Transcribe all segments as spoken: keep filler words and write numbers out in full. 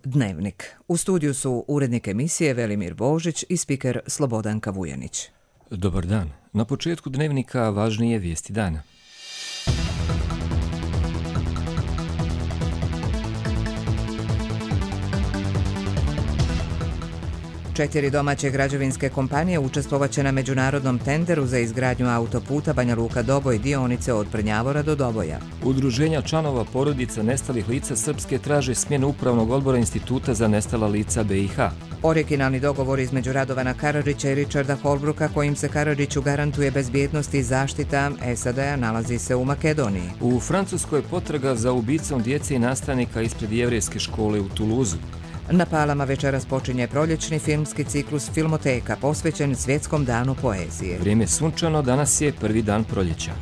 Dnevnik. U studiju su urednik emisije Velimir Božić i spiker Slobodanka Vujanić. Dobar dan. Na početku Dnevnika važnije vijesti dana. Četiri domaće građevinske kompanije učestvovaće na međunarodnom tenderu za izgradnju autoputa Banja Luka-Doboj dionice od Prnjavora do Doboja. Udruženja članova porodica nestalih lica Srpske traže smjenu Upravnog odbora Instituta za nestala lica B i H. Originalni dogovor između Radovana Karadžića i Richarda Holbrooka kojim se Karadžiću garantuje bezbjednost i zaštita S A D-a nalazi se u Makedoniji. U Francuskoj potraga za ubicom djece i nastavnika ispred jevrejske škole u Tuluzu. Na Palama večeras počinje proljećni filmski ciklus Filmoteka posvećen Svjetskom danu poezije. Vrijeme sunčano, danas je prvi dan proljeća.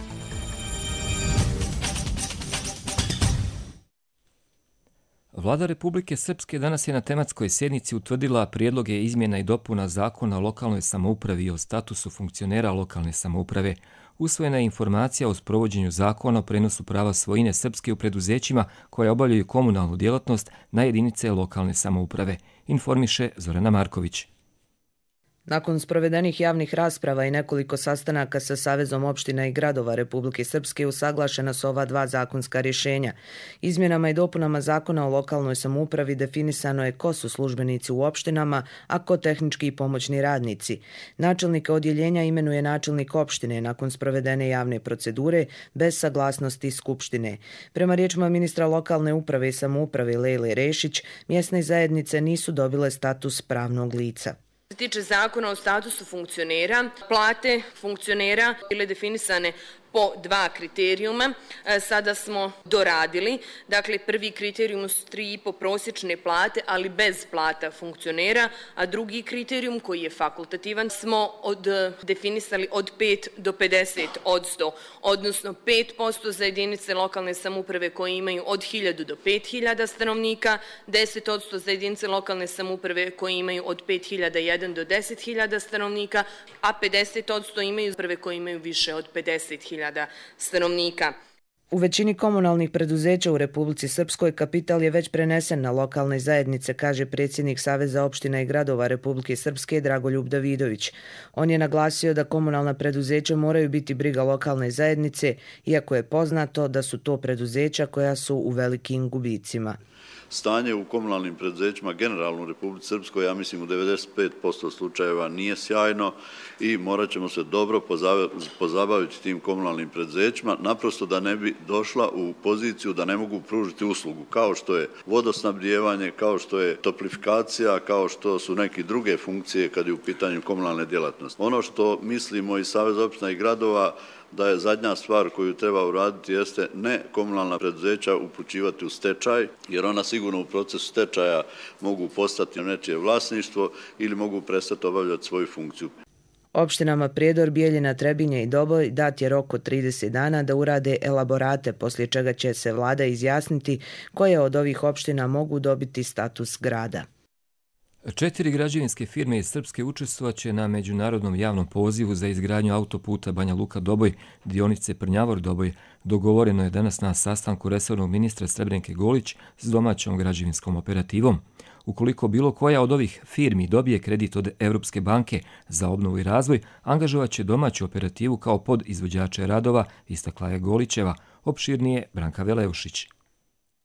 Vlada Republike Srpske danas je na tematskoj sjednici utvrdila prijedloge izmjena i dopuna Zakona o lokalnoj samoupravi i o statusu funkcionera lokalne samouprave. Usvojena je informacija o sprovođenju zakona o prenosu prava svojine Srpske u preduzećima koje obavljaju komunalnu djelatnost na jedinice lokalne samouprave, informiše Zorana Marković. Nakon sprovedenih javnih rasprava i nekoliko sastanaka sa Savezom opština i gradova Republike Srpske usaglašena su ova dva zakonska rješenja. Izmjenama i dopunama Zakona o lokalnoj samoupravi definisano je ko su službenici u opštinama, a ko tehnički i pomoćni radnici. Načelnika odjeljenja imenuje načelnik opštine nakon sprovedene javne procedure bez saglasnosti Skupštine. Prema riječima ministra lokalne uprave i samouprave Lejle Rešić, mjesne zajednice nisu dobile status pravnog lica. Što se tiče zakona o statusu funkcionera, plate funkcionera bile definisane po dva kriterijuma. Sada smo doradili. Dakle, prvi kriterijum su tri i po prosječne plate, ali bez plata funkcionera, a drugi kriterijum koji je fakultativan smo od, definisali od pet do pedeset odsto, odnosno pet posto za jedinice lokalne samouprave koje imaju od hiljadu do pet hiljada stanovnika, deset odsto za jedinice lokalne samouprave koje imaju od pet hiljada jedan do deset hiljada stanovnika, a pedeset odsto imaju prve koje imaju više od pedeset hiljada stanovnika. U većini komunalnih preduzeća u Republici Srpskoj kapital je već prenesen na lokalne zajednice, kaže predsjednik Saveza opština i gradova Republike Srpske Dragoljub Davidović. On je naglasio da komunalna preduzeća moraju biti briga lokalne zajednice, iako je poznato da su to preduzeća koja su u velikim gubicima. Stanje u komunalnim preduzećima generalno u Republici Srpskoj, ja mislim u devedeset pet posto slučajeva nije sjajno i morat ćemo se dobro pozabaviti tim komunalnim preduzećima, naprosto da ne bi došla u poziciju da ne mogu pružiti uslugu, kao što je vodosnabdijevanje, kao što je toplifikacija, kao što su neke druge funkcije kad je u pitanju komunalne djelatnosti. Ono što mislimo iz Saveza opština i gradova da je zadnja stvar koju treba uraditi jeste ne komunalna preduzeća upućivati u stečaj, jer ona sigurno u procesu stečaja mogu postati nečije vlasništvo ili mogu prestati obavljati svoju funkciju. Opštinama Prijedor, Bijeljina, Trebinje i Doboj dat je rok od trideset dana da urade elaborate, poslije čega će se vlada izjasniti koje od ovih opština mogu dobiti status grada. Četiri građevinske firme iz Srpske učestvovaće na međunarodnom javnom pozivu za izgradnju autoputa Banja Luka-Doboj, dionice Prnjavor-Doboj. Dogovoreno je danas na sastanku resornog ministra Srebrenke Golić s domaćom građevinskom operativom. Ukoliko bilo koja od ovih firmi dobije kredit od Europske banke za obnovu i razvoj, angažovat će domaću operativu kao podizvođače radova, istakla je Golićeva, opširnije Branka Veleušić.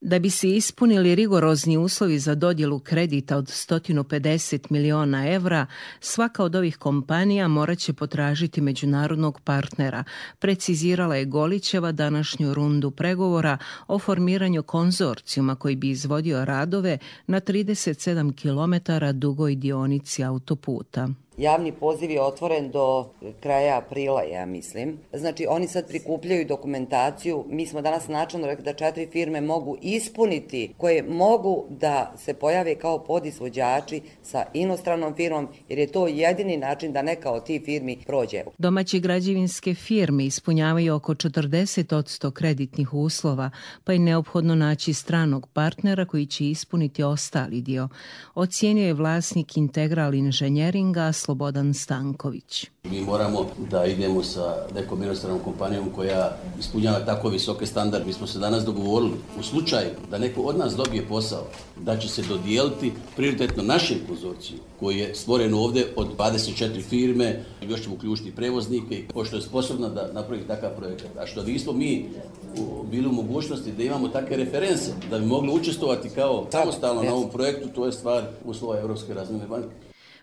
Da bi se ispunili rigorozni uslovi za dodjelu kredita od sto pedeset miliona evra, svaka od ovih kompanija morat će potražiti međunarodnog partnera, precizirala je Golićeva današnju rundu pregovora o formiranju konzorcijuma koji bi izvodio radove na trideset sedam kilometara dugoj dionici autoputa. Javni poziv je otvoren do kraja aprila, ja mislim. Znači, oni sad prikupljaju dokumentaciju. Mi smo danas načelno rekli da četiri firme mogu ispuniti, koje mogu da se pojave kao podizvođači sa inostranom firmom, jer je to jedini način da neka od tih firmi prođe. Domaće građevinske firme ispunjavaju oko četrdeset odsto kreditnih uslova, pa je neophodno naći stranog partnera koji će ispuniti ostali dio. Ocijenio je vlasnik Integral inženjeringa Slobodan Stanković. Mi moramo da idemo sa nekom inostranom kompanijom koja ispunjava tako visoke standarde. Mi smo se danas dogovorili u slučaju da neko od nas dobije posao, da će se dodijeliti prioritetno našem konzorciju koji je stvoren ovdje od dvadeset četiri firme, još ćemo uključiti prevoznike, pošto je sposobna da napravi takav projekat. A što nismo mi bili u mogućnosti da imamo takve reference, da bi mogli učestvovati kao samostalno na ovom projektu, to je stvar uslova Europske razvojne banke.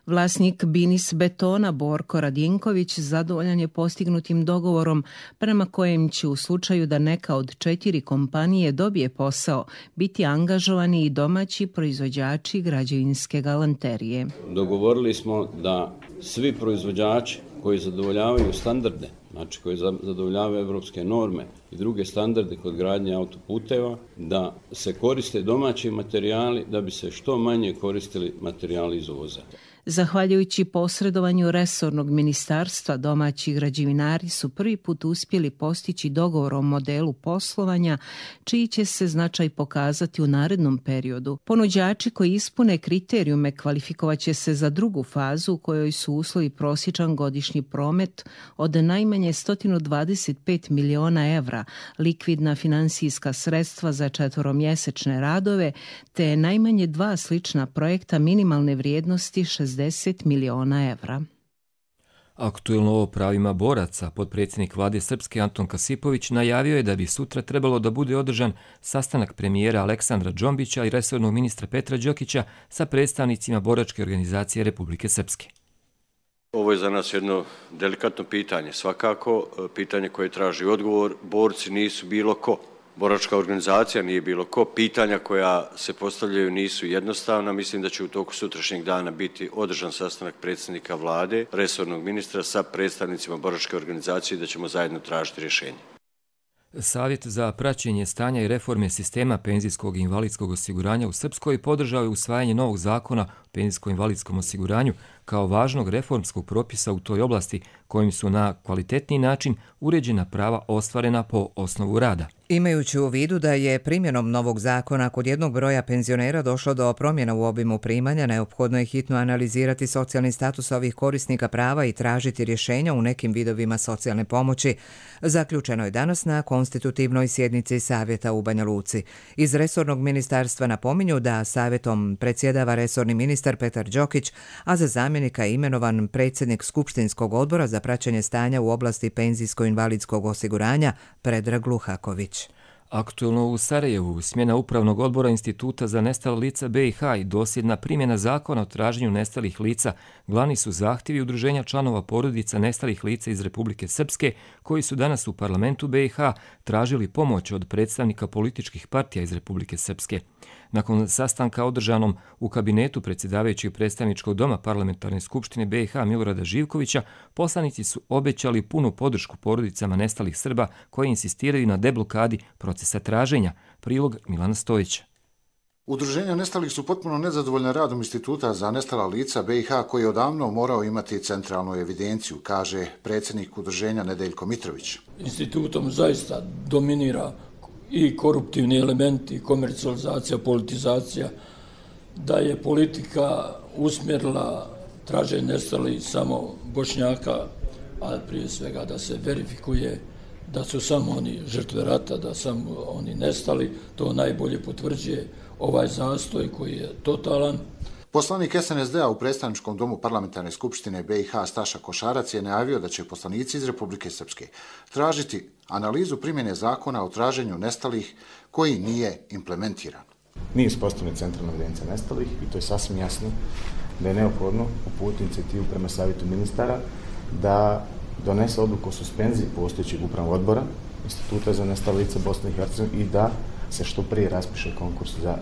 Vlasnik Binis Betona Borko Radinković zadovoljan je postignutim dogovorom prema kojem će u slučaju da neka od četiri kompanije dobije posao biti angažovani i domaći proizvođači građevinske galanterije. Dogovorili smo da svi proizvođači koji zadovoljavaju standarde, znači koji zadovoljavaju evropske norme i druge standarde kod gradnje autoputeva, da se koriste domaći materijali da bi se što manje koristili materijali iz uvoza. Zahvaljujući posredovanju resornog ministarstva, domaći građevinari su prvi put uspjeli postići dogovor o modelu poslovanja, čiji će se značaj pokazati u narednom periodu. Ponuđači koji ispune kriterijume kvalifikovat će se za drugu fazu u kojoj su uslovi prosječan godišnji promet od najmanje sto dvadeset pet miliona evra, likvidna finansijska sredstva za četvoromjesečne radove, te najmanje dva slična projekta minimalne vrijednosti šezdeset miliona evra. Aktuelno o pravima boraca, potpredsjednik vlade Srpske Anton Kasipović najavio je da bi sutra trebalo da bude održan sastanak premijera Aleksandra Džombića i resornog ministra Petra Đokića sa predstavnicima boračke organizacije Republike Srpske. Ovo je za nas jedno delikatno pitanje. Svakako, pitanje koje traži odgovor, borci nisu bilo ko. Boračka organizacija nije bilo ko. Pitanja koja se postavljaju nisu jednostavna. Mislim da će u toku sutrašnjeg dana biti održan sastanak predsjednika vlade, resornog ministra sa predstavnicima boračke organizacije i da ćemo zajedno tražiti rješenje. Savjet za praćenje stanja i reforme sistema penzijskog i invalidskog osiguranja u Srpskoj podržao je usvajanje novog zakona o penzijsko-invalidskom osiguranju kao važnog reformskog propisa u toj oblasti kojim su na kvalitetniji način uređena prava ostvarena po osnovu rada. Imajući u vidu da je primjenom novog zakona kod jednog broja penzionera došlo do promjena u obimu primanja, neophodno je hitno analizirati socijalni status ovih korisnika prava i tražiti rješenja u nekim vidovima socijalne pomoći. Zaključeno je danas na konstitutivnoj sjednici Savjeta u Banja Luci. Iz resornog ministarstva napominju da savjetom predsjedava resorni ministar Petar Đokić, a za zamjenika je imenovan predsjednik Skupštinskog odbora za praćenje stanja u oblasti penzijsko-invalidskog osiguranja Predrag Luhaković. Aktuelno u Sarajevu, smjena Upravnog odbora Instituta za nestala lica B i H i dosljedna primjena zakona o traženju nestalih lica glavni su zahtjevi udruženja članova porodica nestalih lica iz Republike Srpske koji su danas u parlamentu B i H tražili pomoć od predstavnika političkih partija iz Republike Srpske. Nakon sastanka održanom u kabinetu predsjedavajućeg predstavničkog doma Parlamentarne skupštine B i H Milorada Živkovića, poslanici su obećali punu podršku porodicama nestalih Srba koji insistiraju na deblokadi procesa traženja. Prilog Milana Stojića. Udruženja nestalih su potpuno nezadovoljne radom Instituta za nestala lica B i H koji je odavno morao imati centralnu evidenciju, kaže predsjednik udruženja Nedeljko Mitrović. Institutom zaista dominira i koruptivni elementi, i komercijalizacija, politizacija, da je politika usmjerila traženje nestalih samo Bošnjaka, a prije svega da se verifikuje da su samo oni žrtve rata, da samo oni nestali, to najbolje potvrđuje ovaj zastoj koji je totalan. Poslanik S N S D-a u predstavničkom domu Parlamentarne skupštine B i H Staša Košarac je najavio da će poslanici iz Republike Srpske tražiti analizu primjene zakona o traženju nestalih koji nije implementiran. Nije uspostavljena centralna evidencija nestalih i to je sasvim jasno da je neophodno uputiti inicijativu prema savjetu ministara da donese odluku o suspenziji postojećeg upravnog odbora Instituta za nestala lica Bosne i Hercegovine i da se što prije raspiše konkurs za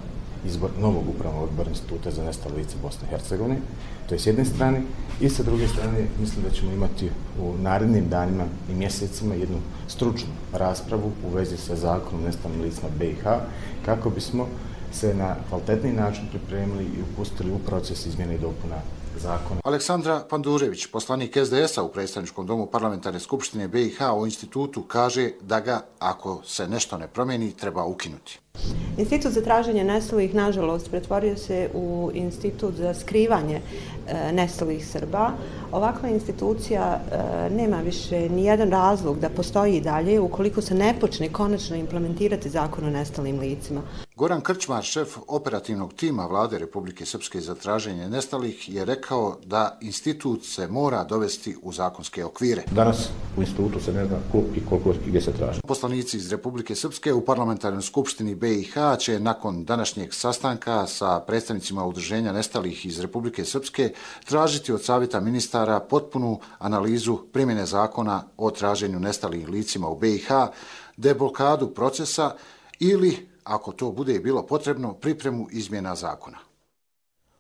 izbor novog upravnog odbora Instituta za nestala lica Bosne i Hercegovine. To je s jedne strane. I sa druge strane mislim da ćemo imati u narednim danima i mjesecima jednu stručnu raspravu u vezi sa zakonom o nestalim licima B i H kako bismo se na kvalitetni način pripremili i upustili u proces izmjene i dopuna zakona. Aleksandra Pandurević, poslanik S D S-a u predstavničkom domu Parlamentarne skupštine B i H o institutu, kaže da ga, ako se nešto ne promijeni, treba ukinuti. Institut za traženje nestalih, nažalost, pretvorio se u institut za skrivanje e, nestalih Srba. Ovakva institucija e, nema više ni jedan razlog da postoji i dalje ukoliko se ne počne konačno implementirati zakon o nestalim licima. Goran Krčmar, šef operativnog tima Vlade Republike Srpske za traženje nestalih, je rekao da institut se mora dovesti u zakonske okvire. Danas u institutu se ne zna ko i koliko i gdje se traži. Poslanici iz Republike Srpske u parlamentarnoj skupštini B i H će nakon današnjeg sastanka sa predstavnicima udruženja nestalih iz Republike Srpske tražiti od savjeta ministara potpunu analizu primjene zakona o traženju nestalih licima u B i H, deblokadu procesa ili, ako to bude bilo potrebno, pripremu izmjena zakona.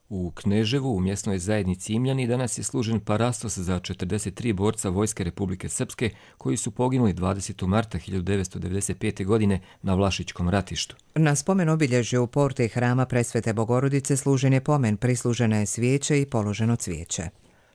U Kneževu, u mjesnoj zajednici Imljani, danas je služen parastos za četrdeset tri borca Vojske Republike Srpske koji su poginuli dvadesetog marta hiljadu devetsto devedeset pete. godine na Vlašićkom ratištu. Na spomen obilježju u porti hrama Presvete Bogorodice služen je pomen, prislužena je svijeće i položeno cvijeće.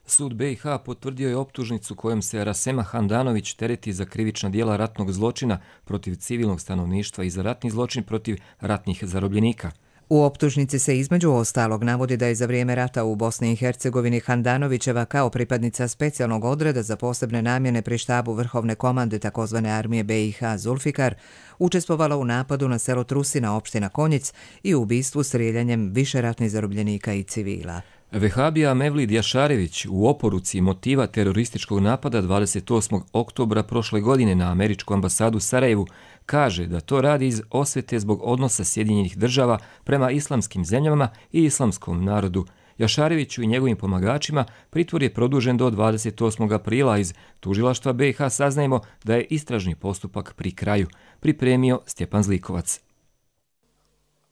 Sud B i H potvrdio je optužnicu kojom se Rasema Handanović tereti za krivična djela ratnog zločina protiv civilnog stanovništva i za ratni zločin protiv ratnih zarobljenika. U optužnici se između ostalog navodi da je za vrijeme rata u Bosni i Hercegovini Handanovićeva kao pripadnica specijalnog odreda za posebne namjene pri štabu Vrhovne komande takozvane armije B i H Zulfikar učestvovala u napadu na selo Trusina, opština Konjic, i u ubistvu strijeljanjem više ratnih zarobljenika i civila. Vehabija Mevlid Jašarević u oporuci motiva terorističkog napada dvadeset osmog oktobra prošle godine na američku ambasadu u Sarajevu kaže da to radi iz osvete zbog odnosa Sjedinjenih država prema islamskim zemljama i islamskom narodu. Jašareviću i njegovim pomagačima pritvor je produžen do dvadeset osmog aprila. Iz tužilaštva B i H saznajemo da je istražni postupak pri kraju. Pripremio Stjepan Zlikovac.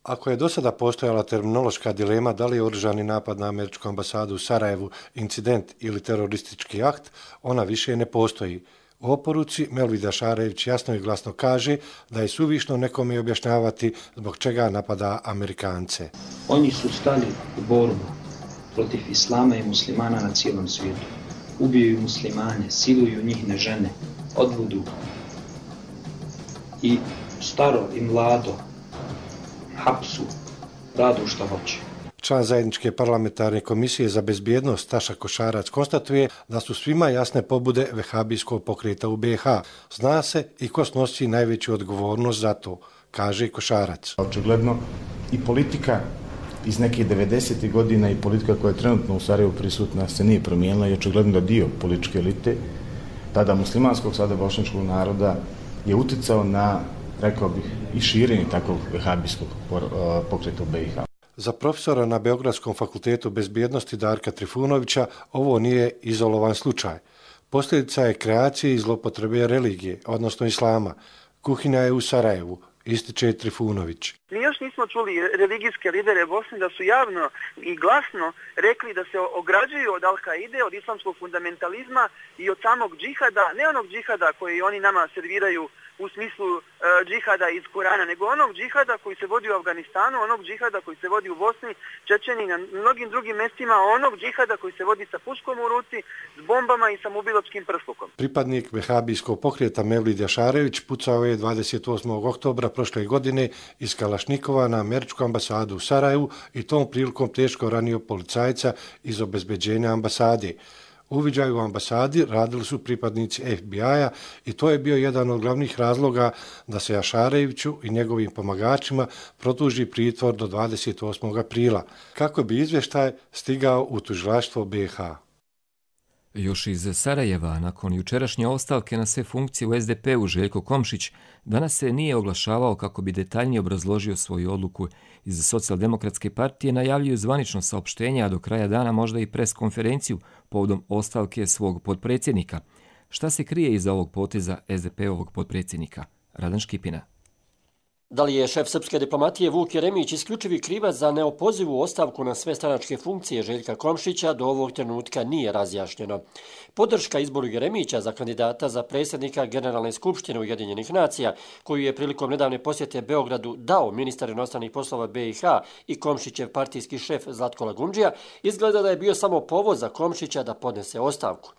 Ako je do sada postojala terminološka dilema da li je oružani napad na američku ambasadu u Sarajevu incident ili teroristički akt, ona više ne postoji. U oporuci Mevlid Jašarević jasno i glasno kaže da je suvišno nekome objašnjavati zbog čega napada Amerikance. Oni su stali u borbu protiv islama i muslimana na cijelom svijetu. Ubijaju muslimane, siluju njihne žene, odvudu i staro i mlado, hapsu, radu što hoće. Član zajedničke parlamentarne komisije za bezbjednost Staša Košarac konstatuje da su svima jasne pobude vehabijskog pokreta u B i H. Zna se i ko snosi najveću odgovornost za to, kaže Košarac. Očigledno i politika iz nekih devedesetih godina i politika koja je trenutno u Sarajevu prisutna se nije promijenila i očigledno da dio političke elite, tada muslimanskog, sada bošnjačkog naroda, je uticao na, rekao bih, i širenje takvog vehabijskog pokreta u B i H. Za profesora na Beogradskom fakultetu bezbjednosti Darka Trifunovića ovo nije izolovan slučaj. Posljedica je kreacije i zlopotrebe religije, odnosno islama. Kuhinja je u Sarajevu, ističe Trifunović. Mi još nismo čuli religijske lidere Bosne da su javno i glasno rekli da se ograđuju od Al-Kaide, od islamskog fundamentalizma i od samog džihada, ne onog džihada koji oni nama serviraju u smislu e, džihada iz Kurana, nego onog džihada koji se vodi u Afganistanu, onog džihada koji se vodi u Bosni, Čečeni i na mnogim drugim mestima, onog džihada koji se vodi sa puškom u ruci, s bombama i samoubilačkim prslukom. Pripadnik vehabijskog pokreta Mevlid Jašarević pucao je dvadeset osmog oktobra prošle godine iz Kalašnikova na američku ambasadu u Sarajevu i tom prilikom teško ranio policajca iz obezbeđenja ambasade. Uviđaju u ambasadi radili su pripadnici F B I-a i to je bio jedan od glavnih razloga da se Jašareviću i njegovim pomagačima produži pritvor do dvadeset osmog aprila, kako bi izvještaj stigao u tužilaštvo B i H. Još iz Sarajeva, nakon jučerašnje ostavke na sve funkcije u S D P-u, Željko Komšić danas se nije oglašavao kako bi detaljnije obrazložio svoju odluku. Iz Socijaldemokratske partije najavljuju zvanično saopštenje, a do kraja dana možda i pres konferenciju povodom ostavke svog potpredsjednika. Šta se krije iza ovog poteza S D P-ovog potpredsjednika? Radan Škipina. Da li je šef srpske diplomatije Vuk Jeremić isključivi krivac za neopozivu ostavku na sve stranačke funkcije Željka Komšića do ovog trenutka nije razjašnjeno. Podrška izboru Jeremića za kandidata za predsjednika Generalne skupštine Ujedinjenih nacija, koju je prilikom nedavne posjete Beogradu dao ministar inostranih poslova B i H i Komšićev partijski šef Zlatko Lagundžija, izgleda da je bio samo povod za Komšića da podnese ostavku.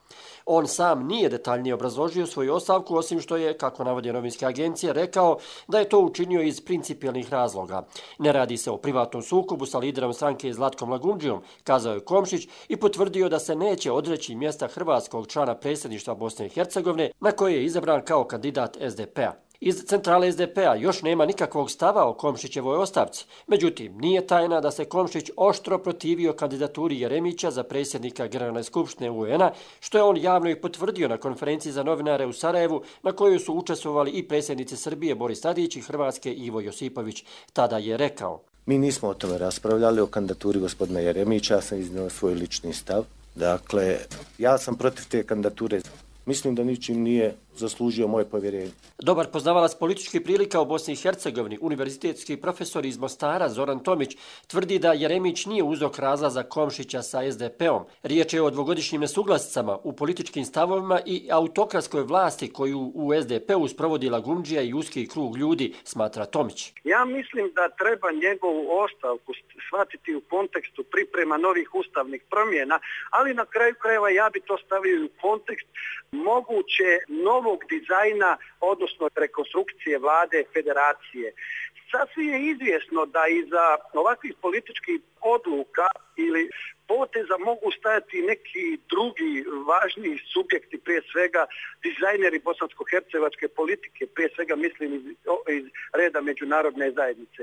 On sam nije detaljnije obrazložio svoju ostavku, osim što je, kako navode novinske agencije, rekao da je to učinio učinio iz principijelnih razloga. Ne radi se o privatnom sukobu sa liderom stranke Zlatkom Lagundžijom, kazao je Komšić i potvrdio da se neće odreći mjesta hrvatskog člana predsjedništva Bosne i Hercegovine na koje je izabran kao kandidat es de pe a. Iz centrale es de pe a još nema nikakvog stava o Komšićevoj ostavci. Međutim, nije tajna da se Komšić oštro protivio kandidaturi Jeremića za predsjednika Generalne skupštine u en a, što je on javno i potvrdio na konferenciji za novinare u Sarajevu, na kojoj su učestvovali i predsjednici Srbije Boris Tadić i Hrvatske Ivo Josipović. Tada je rekao: Mi nismo o tome raspravljali, o kandidaturi gospodina Jeremića, ja sam iznio svoj lični stav. Dakle, ja sam protiv te kandidature. Mislim da ničim nije zaslužio moje povjerenje. Dobar poznavalac političkih prilika u Bosni i Hercegovini, univerzitetski profesor iz Mostara Zoran Tomić, tvrdi da Jeremić nije uzrok razlaza Komšića sa es de pe om. Riječ je o dvogodišnjim nesuglasicama u političkim stavovima i autokratskoj vlasti koju u es de pe u sprovodi Lagundžija i uski krug ljudi, smatra Tomić. Ja mislim da treba njegovu ostavku shvatiti u kontekstu priprema novih ustavnih promjena, ali na kraju krajeva ja bi to stavio u kontekst moguće novog dizajna, odnosno rekonstrukcije vlade federacije. Sasvim je izvjesno da iza ovakvih političkih odluka ili poteza mogu stajati neki drugi važniji subjekti, prije svega dizajneri bosansko-hercevačke politike, prije svega mislim iz, iz reda međunarodne zajednice.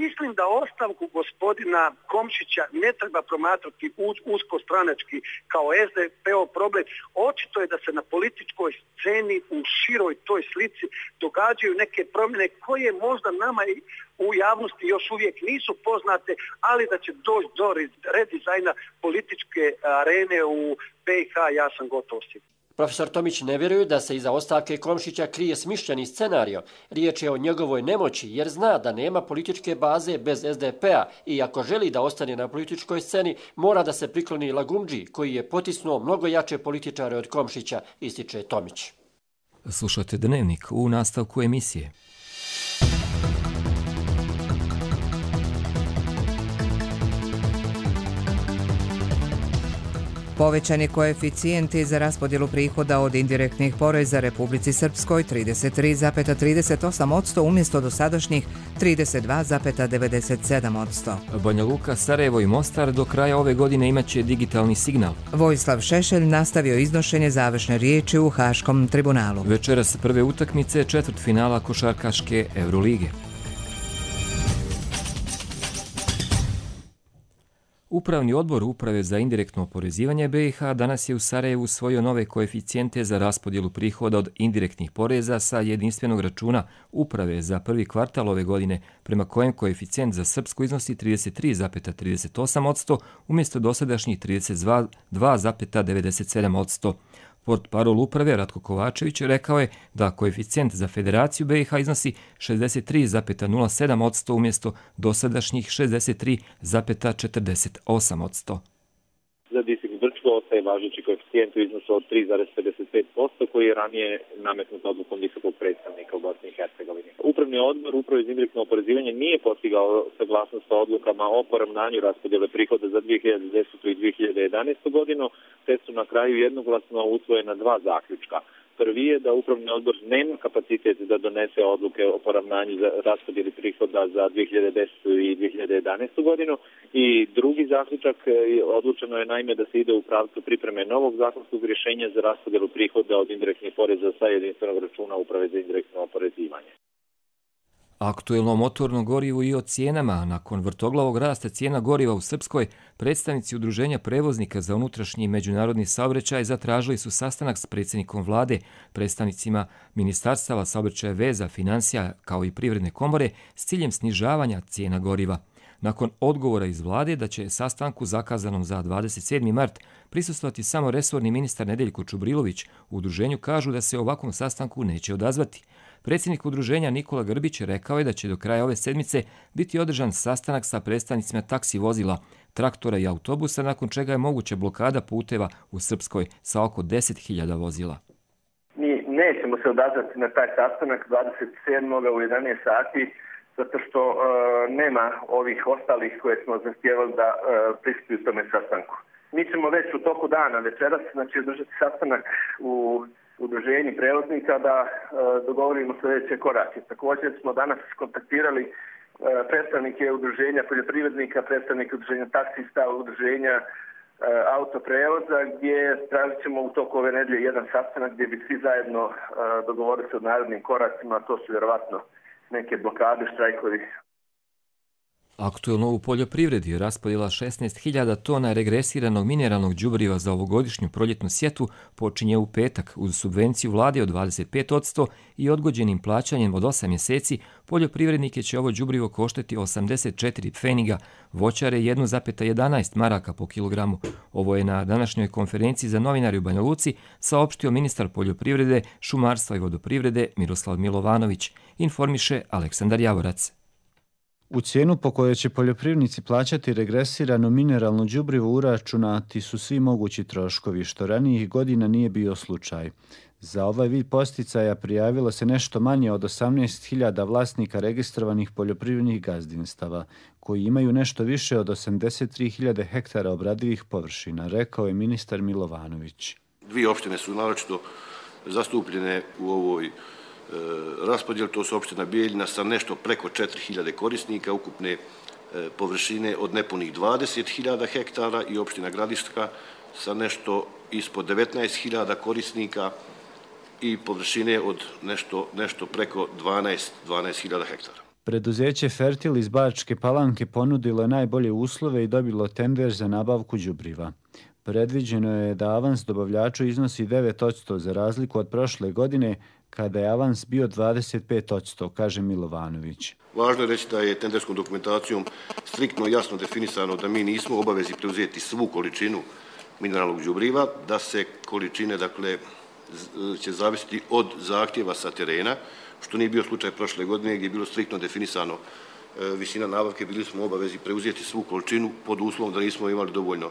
Mislim da ostavku gospodina Komšića ne treba promatrati uz, usko stranački kao es de pe o problem. Očito je da se na političkoj sceni u široj toj slici događaju neke promjene koje možda nama i u javnosti još uvijek nisu poznate, ali da će doći do redizajna političke arene u be i ha, ja sam gotov siguran. Profesor Tomić ne vjeruje da se iza ostavke Komšića krije smišljeni scenario. Riječ je o njegovoj nemoći jer zna da nema političke baze bez es de pe a i ako želi da ostane na političkoj sceni, mora da se prikloni Lagundži koji je potisnuo mnogo jače političare od Komšića, ističe Tomić. Slušate Dnevnik u nastavku emisije. Povećani koeficijenti za raspodjelu prihoda od indirektnih poreza Republici Srpskoj trideset tri zarez trideset osam posto umjesto dosadašnjih trideset dva zarez devedeset sedam posto. Banja Luka, Sarajevo i Mostar do kraja ove godine imaće digitalni signal. Vojislav Šešelj nastavio iznošenje završne riječi u Haškom tribunalu. Večeras prve utakmice četvrtfinala košarkaške Eurolige. Upravni odbor Uprave za indirektno oporezivanje be i ha danas je u Sarajevu usvojio nove koeficijente za raspodjelu prihoda od indirektnih poreza sa jedinstvenog računa Uprave za prvi kvartal ove godine, prema kojem koeficijent za Srpsku iznosi trideset tri zarez trideset osam posto umjesto dosadašnjih trideset dva zarez devedeset sedam posto. Portparol uprave Ratko Kovačević rekao je da koeficijent za Federaciju be i ha iznosi šezdeset tri zarez nula sedam posto umjesto dosadašnjih šezdeset tri zarez četrdeset osam posto. Za Distrikt Brčko ostaje važeći koeficijent u iznosu od tri zarez pedeset pet posto koji je ranije nametnut odlukom visokog predstavnika u Bosni i Hercegovini. Upravni odbor Uprave za indirektno oporezivanje nije postigao saglasnost sa odlukama o poravnanju raspodjele prihoda za dvije hiljade desetu i dvije hiljade jedanaestu godinu, te su na kraju jednoglasno usvojena dva zaključka. Prvi je da Upravni odbor nema kapacitet da donese odluke o poravnanju za raspodjeli prihoda za dvije hiljade desetu i dvije hiljade jedanaestu godinu i drugi zaključak odlučeno je naime da se ide u pravcu pripreme novog zakonskog rješenja za raspodjelu prihoda od indirektnih poreza sa jedinstvenog računa Uprave za indirektno oporezivanje. Aktuelno motorno gorivo i o cijenama. Nakon vrtoglavog rasta cijena goriva u Srpskoj, predstavnici Udruženja prevoznika za unutrašnji i međunarodni saobraćaj zatražili su sastanak s predsjednikom vlade, predstavnicima ministarstava saobraćaja, veza, financija kao i privredne komore s ciljem snižavanja cijena goriva. Nakon odgovora iz vlade da će sastanku zakazanom za dvadeset sedmi mart prisustvovati samo resorni ministar Nedeljko Čubrilović, u udruženju kažu da se ovakvom sastanku neće odazvati. Predsjednik udruženja Nikola Grbić rekao je da će do kraja ove sedmice biti održan sastanak sa predstavnicima taksi vozila, traktora i autobusa, nakon čega je moguća blokada puteva u Srpskoj sa oko deset hiljada vozila. Mi nećemo se odazvati na taj sastanak dvadeset sedmog u jedanaest sati, zato što e, nema ovih ostalih koje smo zahtijevali da e, prisustvuju tome sastanku. Mi ćemo već u toku dana večeras, znači održati sastanak u udruženji prevoznika da e, dogovorimo sljedeće korake. Također smo danas kontaktirali e, predstavnike udruženja poljoprivrednika, predstavnike udruženja taksista, udruženja e, autoprevoza, gdje tražit ćemo u toku ove nedelje jedan sastanak gdje bi svi zajedno e, dogovorili se o narednim koracima, to su vjerovatno neke blokade, štrajkovi. Aktuelno u poljoprivredi raspodjela šesnaest hiljada tona regresiranog mineralnog đubriva za ovogodišnju proljetnu sjetvu počinje u petak uz subvenciju vlade od dvadeset pet posto i odgođenim plaćanjem od osam mjeseci. Poljoprivrednike će ovo đubrivo koštati osamdeset četiri pfeniga, voćare jedan zarez jedanaest maraka po kilogramu. Ovo je na današnjoj konferenciji za novinari u Banja Luci saopštio ministar poljoprivrede, šumarstva i vodoprivrede Miroslav Milovanović, informiše Aleksandar Javorac. U cijenu po kojoj će poljoprivrednici plaćati regresirano mineralno đubrivo uračunati su svi mogući troškovi, što ranijih godina nije bio slučaj. Za ovaj vid posticaja prijavilo se nešto manje od osamnaest hiljada vlasnika registrovanih poljoprivrednih gazdinstava, koji imaju nešto više od osamdeset tri hiljade hektara obradivih površina, rekao je ministar Milovanović. Dvije opštine su naročito zastupljene u ovoj raspodjel, to su opština Bijeljina sa nešto preko četiri hiljade korisnika, ukupne površine od nepunih dvadeset hiljada hektara i opština Gradiška sa nešto ispod devetnaest hiljada korisnika i površine od nešto, nešto preko dvanaest hiljada hektara. Preduzeće Fertil iz Bačke Palanke ponudilo je najbolje uslove i dobilo tender za nabavku đubriva. Predviđeno je da avans dobavljaču iznosi devet posto za razliku od prošle godine, kada je avans bio dvadeset pet posto, kaže Milovanović. Važno je reći da je tenderskom dokumentacijom striktno jasno definisano da mi nismo u obavezi preuzeti svu količinu mineralnog đubriva, da se količine, dakle, će zavisiti od zahtjeva sa terena, što nije bio slučaj prošle godine gdje je bilo striktno definisano visina nabavke, bili smo u obavezi preuzeti svu količinu pod uslovom da nismo imali dovoljno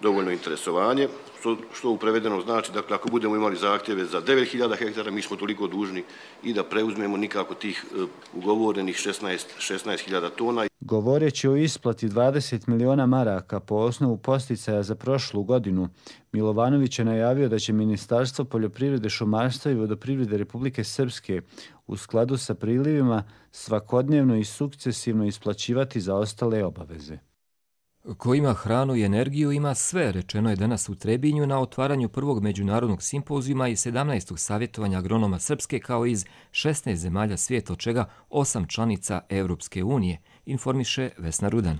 dovoljno interesovanje, što, što u prevedenom znači, dakle, ako budemo imali zahtjeve za devet hiljada hektara, mi smo toliko dužni i da preuzmemo nikako tih uh, ugovorenih šesnaest hiljada tona. Govoreći o isplati dvadeset miliona maraka po osnovu posticaja za prošlu godinu, Milovanović je najavio da će Ministarstvo poljoprivrede, šumarstva i vodoprivrede Republike Srpske u skladu sa prilivima svakodnevno i sukcesivno isplaćivati zaostale obaveze. Ko ima hranu i energiju ima sve, rečeno je danas u Trebinju na otvaranju prvog međunarodnog simpozijuma i sedamnaestog savjetovanja agronoma Srpske kao iz šesnaest zemalja svijeta, od čega osam članica Europske unije, informiše Vesna Rudan.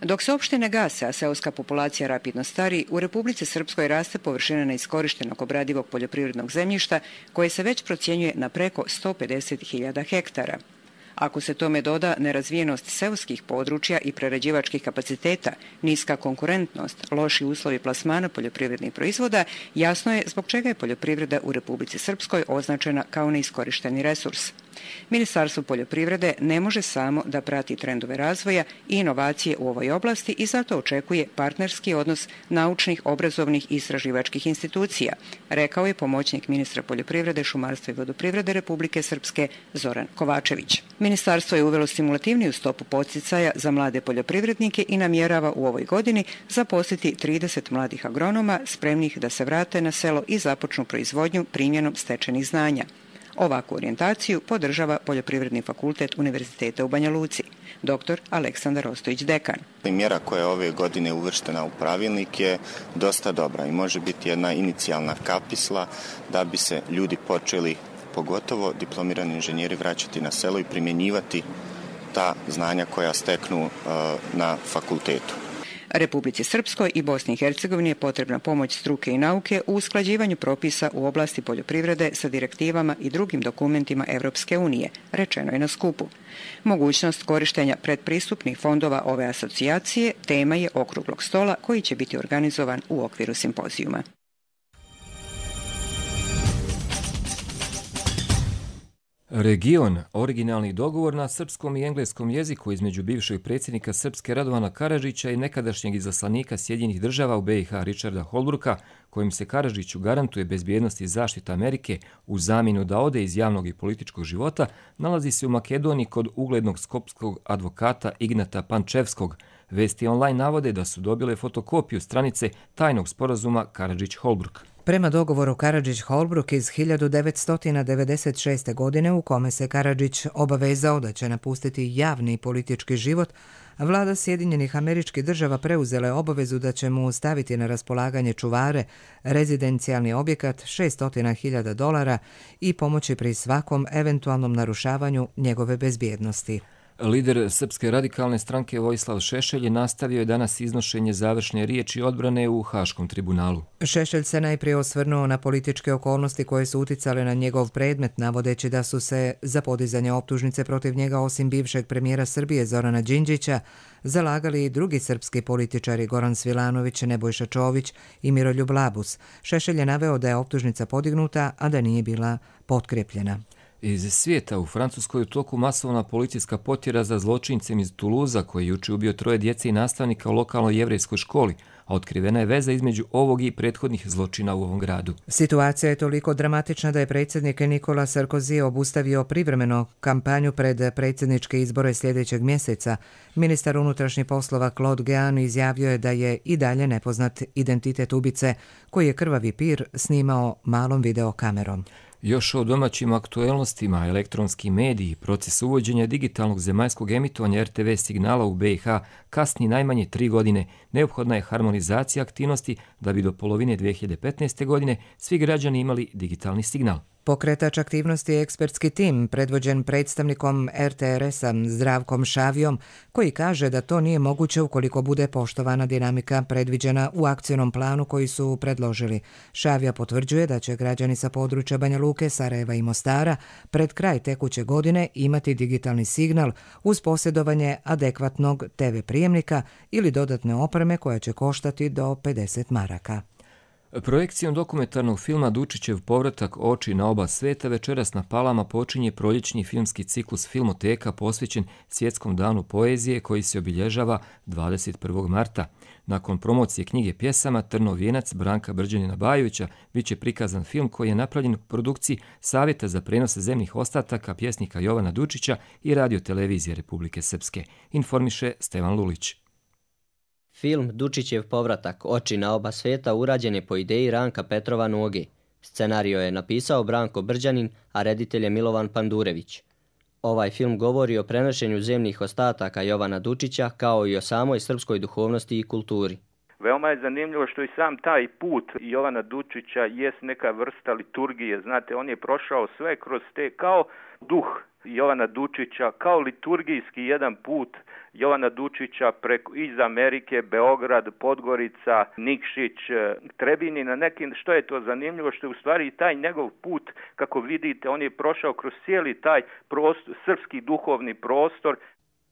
Dok se opštine gase, a seoska populacija rapidno stari, u Republici Srpskoj raste površina neiskorištenog obradivog poljoprivrednog zemljišta koje se već procjenjuje na preko sto pedeset hiljada hektara. Ako se tome doda nerazvijenost seoskih područja i prerađivačkih kapaciteta, niska konkurentnost, loši uslovi plasmana poljoprivrednih proizvoda, jasno je zbog čega je poljoprivreda u Republici Srpskoj označena kao neiskorišteni resurs. Ministarstvo poljoprivrede ne može samo da prati trendove razvoja i inovacije u ovoj oblasti i zato očekuje partnerski odnos naučnih, obrazovnih i istraživačkih institucija, rekao je pomoćnik ministra poljoprivrede, šumarstva i vodoprivrede Republike Srpske Zoran Kovačević. Ministarstvo je uvelo stimulativniju stopu podsticaja za mlade poljoprivrednike i namjerava u ovoj godini zaposliti trideset mladih agronoma spremnih da se vrate na selo i započnu proizvodnju primjenom stečenih znanja. Ovakvu orijentaciju podržava Poljoprivredni fakultet Univerziteta u Banja Luci. Doktor Aleksandar Ostojić, dekan. Mjera koja je ove godine uvrštena u pravilnik je dosta dobra i može biti jedna inicijalna kapisla da bi se ljudi počeli, pogotovo diplomirani inženjeri, vraćati na selo i primjenjivati ta znanja koja steknu uh, na fakultetu. Republici Srpskoj i Bosni i Hercegovini je potrebna pomoć struke i nauke u usklađivanju propisa u oblasti poljoprivrede sa direktivama i drugim dokumentima Evropske unije, rečeno je na skupu. Mogućnost korištenja predpristupnih fondova ove asocijacije tema je okruglog stola koji će biti organizovan u okviru simpozijuma. Region, originalni dogovor na srpskom i engleskom jeziku između bivšeg predsjednika Srpske Radovana Karadžića i nekadašnjeg izaslanika Sjedinjenih država u be i ha Richarda Holbrooka, kojim se Karadžiću garantuje bezbjednost i zaštita Amerike u zamjenu da ode iz javnog i političkog života, nalazi se u Makedoniji kod uglednog skopskog advokata Ignata Pančevskog, Vesti online navode da su dobile fotokopiju stranice tajnog sporazuma Karadžić-Holbruk. Prema dogovoru Karadžić-Holbruk iz hiljadu devetsto devedeset šeste. godine u kome se Karadžić obavezao da će napustiti javni politički život, vlada Sjedinjenih Američkih Država preuzela je obavezu da će mu staviti na raspolaganje čuvare, rezidencijalni objekat šessto hiljada dolara i pomoći pri svakom eventualnom narušavanju njegove bezbjednosti. Lider Srpske radikalne stranke Vojislav Šešelj je nastavio danas iznošenje završne riječi odbrane u Haškom tribunalu. Šešelj se najprije osvrnuo na političke okolnosti koje su uticale na njegov predmet, navodeći da su se za podizanje optužnice protiv njega osim bivšeg premijera Srbije Zorana Đinđića zalagali i drugi srpski političari Goran Svilanović, Nebojša Čović i Miroljub Labus. Šešelj je naveo da je optužnica podignuta, a da nije bila potkrepljena. Iz svijeta u Francuskoj u toku masovna policijska potjera za zločincem iz Tuluza koji je juče ubio troje djece i nastavnika u lokalnoj jevrejskoj školi, a otkrivena je veza između ovog i prethodnih zločina u ovom gradu. Situacija je toliko dramatična da je predsjednik Nikola Sarkozy obustavio privremeno kampanju pred predsjedničke izbore sljedećeg mjeseca. Ministar unutrašnjih poslova Claude Guéant izjavio je da je i dalje nepoznat identitet ubice koji je krvavi pir snimao malom videokamerom. Još o domaćim aktuelnostima, elektronski mediji, proces uvođenja digitalnog zemaljskog emitovanja er te ve signala u be i ha kasni najmanje tri godine. Neophodna je harmonizacija aktivnosti da bi do polovine dvije hiljade petnaeste. godine svi građani imali digitalni signal. Pokretač aktivnosti je ekspertski tim predvođen predstavnikom er te er esa Zdravkom Šavijom, koji kaže da to nije moguće ukoliko bude poštovana dinamika predviđena u akcionom planu koji su predložili. Šavija potvrđuje da će građani sa područja Banja Luke, Sarajeva i Mostara pred kraj tekuće godine imati digitalni signal uz posjedovanje adekvatnog te ve prijemnika ili dodatne opreme koja će koštati do pedeset maraka. Projekcijom dokumentarnog filma Dučićev povratak oči na oba sveta večeras na Palama počinje proljećni filmski ciklus Filmoteka posvećen Svjetskom danu poezije koji se obilježava dvadeset prvog marta. Nakon promocije knjige pjesama Trnov vijenac Branka Brđanina Bajovića bit će prikazan film koji je napravljen u produkciji Savjeta za prenos zemnih ostataka pjesnika Jovana Dučića i Radio-televizije Republike Srpske, informiše Stevan Lulić. Film Dučićev povratak oči na oba svijeta urađen je po ideji Ranka Petrova Noge. Scenario je napisao Branko Brđanin, a reditelj je Milovan Pandurević. Ovaj film govori o prenošenju zemnih ostataka Jovana Dučića kao i o samoj srpskoj duhovnosti i kulturi. Veoma je zanimljivo što i sam taj put Jovana Dučića jest neka vrsta liturgije. Znate, on je prošao sve kroz te kao duh Jovana Dučića, kao liturgijski jedan put Jovana Dučića preko, iz Amerike, Beograd, Podgorica, Nikšić, Trebini, na nekim, što je to zanimljivo, što je u stvari taj njegov put, kako vidite, on je prošao kroz cijeli taj prostor, srpski duhovni prostor.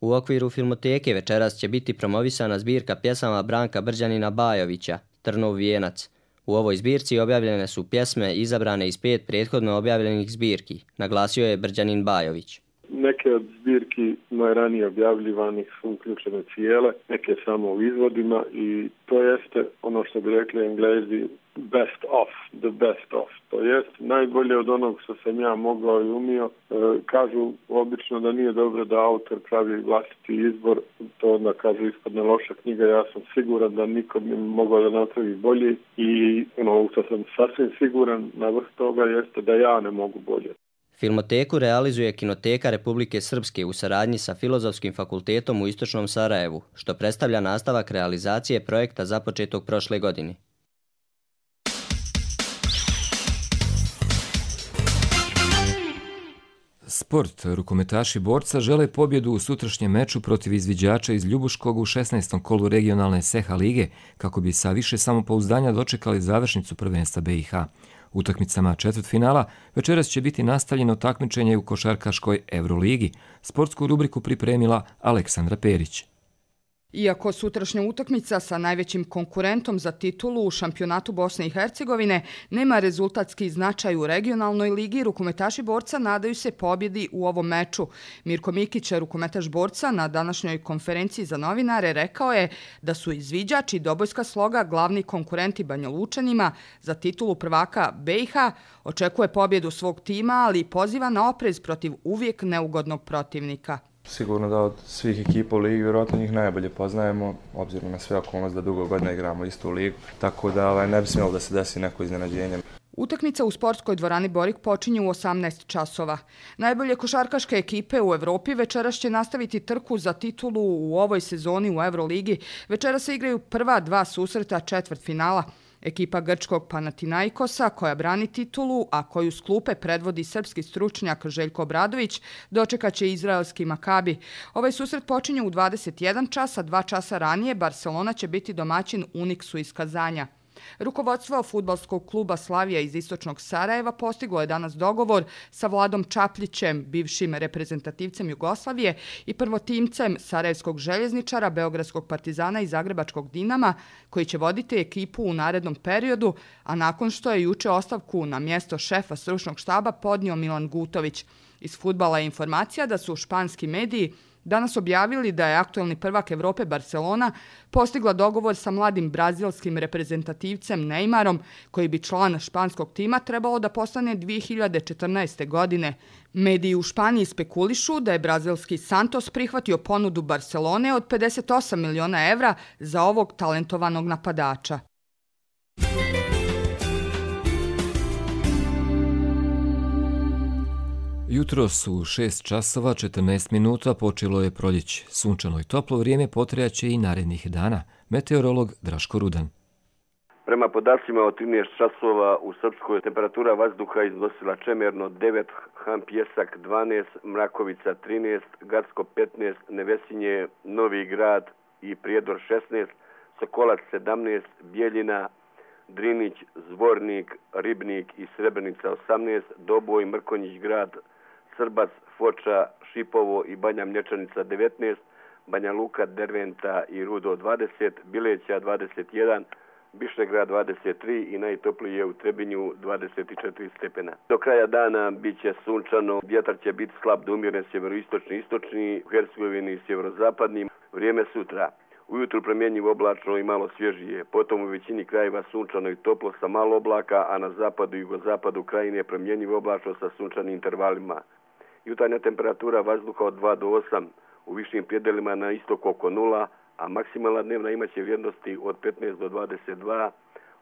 U okviru Filmoteke večeras će biti promovisana zbirka pjesama Branka Brđanina Bajovića, Trnov vijenac. U ovoj zbirci objavljene su pjesme izabrane iz pet prethodno objavljenih zbirki, naglasio je Brđanin Bajović. Neke od zbirki najranije objavljivanih su uključene cijele, neke samo u izvodima i to jeste ono što bi rekli Englezi best of, the best of. To jest najbolje od onog što sam ja mogao i umio. E, kažu obično da nije dobro da autor pravi vlastiti izbor, to onda kažu ispadne loša knjiga. Ja sam siguran da niko bi mogao da napravi bolje i ono što sam sasvim siguran na vrh toga jeste da ja ne mogu bolje. Filmoteku realizuje Kinoteka Republike Srpske u saradnji sa Filozofskim fakultetom u Istočnom Sarajevu, što predstavlja nastavak realizacije projekta započetog prošle godine. Sport. Rukometaši Borca žele pobjedu u sutrašnjem meču protiv izviđača iz Ljubuškog u šesnaestom kolu regionalne S E H A lige, kako bi sa više samopouzdanja dočekali završnicu prvenstva be i ha. Utakmicama četvrtfinala večeras će biti nastavljeno takmičenje u košarkaškoj Euroligi. Sportsku rubriku pripremila Aleksandra Perić. Iako sutrašnja utakmica sa najvećim konkurentom za titulu u šampionatu Bosne i Hercegovine nema rezultatski značaj u regionalnoj ligi, rukometaši Borca nadaju se pobjedi u ovom meču. Mirko Mikić, rukometaš Borca, na današnjoj konferenciji za novinare rekao je da su izviđač i Dobojska Sloga glavni konkurenti Banjalučanima za titulu prvaka be i ha, očekuje pobjedu svog tima, ali poziva na oprez protiv uvijek neugodnog protivnika. Sigurno da od svih ekipa u ligi vjerojatno njih najbolje poznajemo, obzirom na sve okolnosti da dugo godina igramo istu ligu, tako da ovaj, ne bi smjelo da se desi neko iznenađenje. Utakmica u sportskoj dvorani Borik počinje u osamnaest časova. Najbolje košarkaške ekipe u Evropi večeras će nastaviti trku za titulu u ovoj sezoni u Euroligi. Večeras se igraju prva dva susreta četvrtfinala. Ekipa grčkog Panathinaikosa, koja brani titulu, a koju s klupe predvodi srpski stručnjak Željko Obradović, dočekat će izraelski Makabi. Ovaj susret počinje u dvadeset jedan čas, a dva časa ranije Barcelona će biti domaćin Uniksu iz Kazanja. Rukovodstvo fudbalskog kluba Slavija iz istočnog Sarajeva postiglo je danas dogovor sa Vladom Čapljićem, bivšim reprezentativcem Jugoslavije i prvotimcem sarajevskog željezničara, beogradskog Partizana i zagrebačkog Dinama, koji će voditi ekipu u narednom periodu, a nakon što je juče ostavku na mjesto šefa stručnog štaba podnio Milan Gutović. Iz fudbala je informacija da su španski mediji danas objavili da je aktuelni prvak Evrope Barcelona postigla dogovor sa mladim brazilskim reprezentativcem Neymarom, koji bi član španskog tima trebalo da postane dvije hiljade četrnaeste. godine. Mediji u Španiji spekulišu da je brazilski Santos prihvatio ponudu Barcelone od pedeset osam miliona evra za ovog talentovanog napadača. Jutros u šest časova četrnaest minuta počelo je proljeće. Sunčano i toplo vrijeme potrajaće i narednih dana. Meteorolog Draško Rudan. Prema podacima od trinaest časova u Srpskoj temperatura vazduha iznosila čemerno devet, Han Pjesak dvanaest, Mrakovica trinaest, Gacko petnaest, Nevesinje, Novi Grad i Prijedor šesnaest, Sokolac sedamnaest, Bijeljina, Drinić, Zvornik, Ribnik i Srebrenica osamnaest, Doboj, Mrkonjić grad, Srbac, Foča, Šipovo i Banja Mlječanica devetnaest, Banja Luka, Derventa i Rudo dvadeset, Bileća dvadeset jedan, Bišegrad dvadeset tri i najtoplije u Trebinju dvadeset četiri stepena. Do kraja dana bit će sunčano, vjetar će biti slab do umjeren sjeveroistočni istočni, u Hercegovini sjeverozapadni. Vrijeme sutra. Ujutru promjenjivo oblačno i malo svježije, potom u većini krajeva sunčano i toplo sa malo oblaka, a na zapadu i jugozapadu krajine promjenjivo oblačno sa sunčanim intervalima. Jutarnja temperatura vazduha od dva do osam, u višim predelima na istoku oko nula, a maksimalna dnevna imaće vrijednosti od petnaest do dvadeset dva,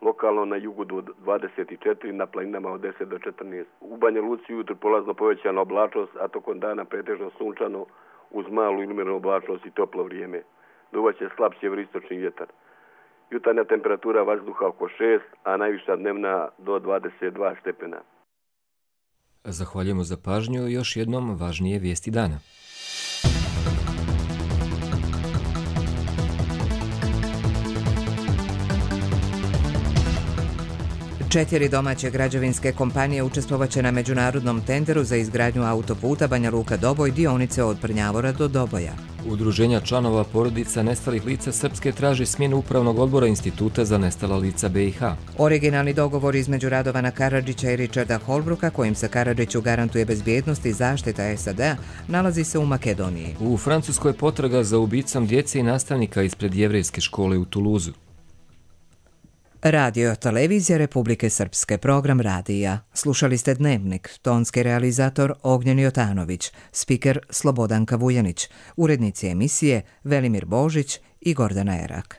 lokalno na jugu do dvadeset četiri, na planinama od deset do četrnaest. U Banja Luci jutro polazno povećana oblačnost, a tokom dana pretežno sunčano uz malu ili umjerenu oblačnost i toplo vrijeme. Duvaće slab sjeveroistočni vjetar. Jutarnja temperatura vazduha oko šest, a najviša dnevna do dvadeset dva stepena. Zahvaljujemo za pažnju i još jednom važnije vijesti dana. Četiri domaće građevinske kompanije učestvovaće na međunarodnom tenderu za izgradnju autoputa Banja Luka-Doboj dionice od Prnjavora do Doboja. Udruženja članova porodica nestalih lica Srpske traži smjenu upravnog odbora Instituta za nestala lica B i H. Originalni dogovor između Radovana Karadžića i Richarda Holbrooka, kojim se Karadžiću garantuje bezbjednost i zaštita S A D-a, nalazi se u Makedoniji. U Francuskoj potraga za ubicom djece i nastavnika ispred jevrejske škole u Tuluzu. Radio televizija Republike Srpske, program radija. Slušali ste Dnevnik, tonski realizator Ognjen Jotanović, spiker Slobodanka Vujanić, urednici emisije Velimir Božić i Gordana Erak.